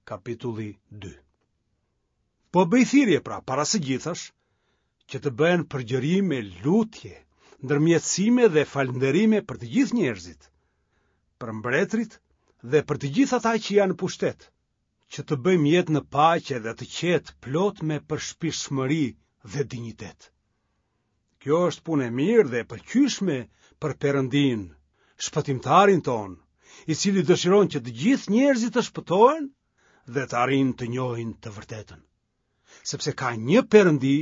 Kapitulli 2. Po bëj thirrje pra para së gjithash që të bëhen përgjërime, lutje, ndërmjetësime dhe falënderime për të gjithë njerëzit, për mbretërit dhe për të gjithë ata që janë në pushtet, që të bëjmë jetë në paqe dhe të qetë plot me përshpirtshmëri dhe dinjitet. Kjo është punë e mirë dhe e pëlqyeshme për Perëndinë, shpëtimtarin tonë, i cili dëshiron që të gjithë njerëzit të shpëtohen dhe të arrijnë të njohin të vërtetën. Sepse ka një Perëndi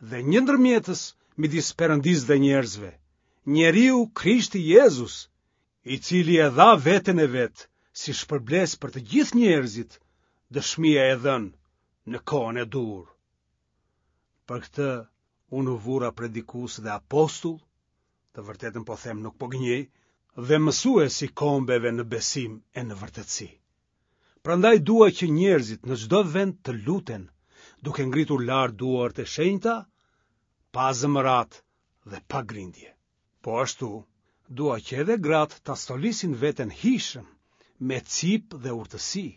dhe një ndërmjetës midis Perëndisë dhe njerëzve, njeriu Krishti Jezus, i cili e dha veten e vet si shpërblesë për të gjithë njerëzit, dëshmia e dhënë në kohën e duhur. Për këtë unë u vura predikues dhe apostull, të vërtetën po them nuk po gënjej, dhe mësues i kombeve në besim e në vërtetësi. Prandaj dua që njerëzit në çdo vend të luten, duke ngritur lart duart e shenjta, pa zemëratë dhe pa grindje. Po ashtu, dua që edhe gratë ta stolisin veten hijshëm, me cipë dhe urtësi,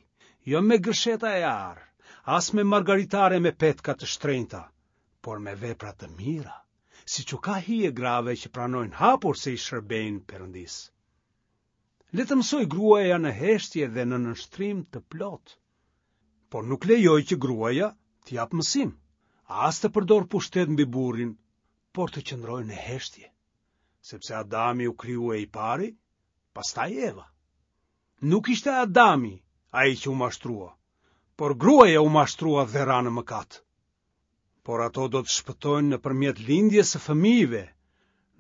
jo me gërsheta e ar, as me margaritare me petka të shtrenjta, por me vepra të mira, siç u ka hije grave që pranojnë hapur se i shërbejnë Perëndisë. Le të mësojë gruaja në heshtje dhe në nënshtrim të plotë. Por nuk lejoj që gruaja të japë mësim, as të përdorë pushtet mbi burrin, por të qëndrojë në heshtje, sepse Adami u krijua i pari, pastaj Eva. Nuk ishte Adami ai që u mashtrua, por gruaja u mashtrua dhe ra në mëkat. Por ato do të shpëtojnë nëpërmjet lindjes së fëmijëve,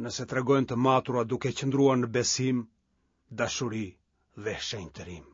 nëse tregohen të matura duke qëndruar në besim, dashuri dhe shenjtërim.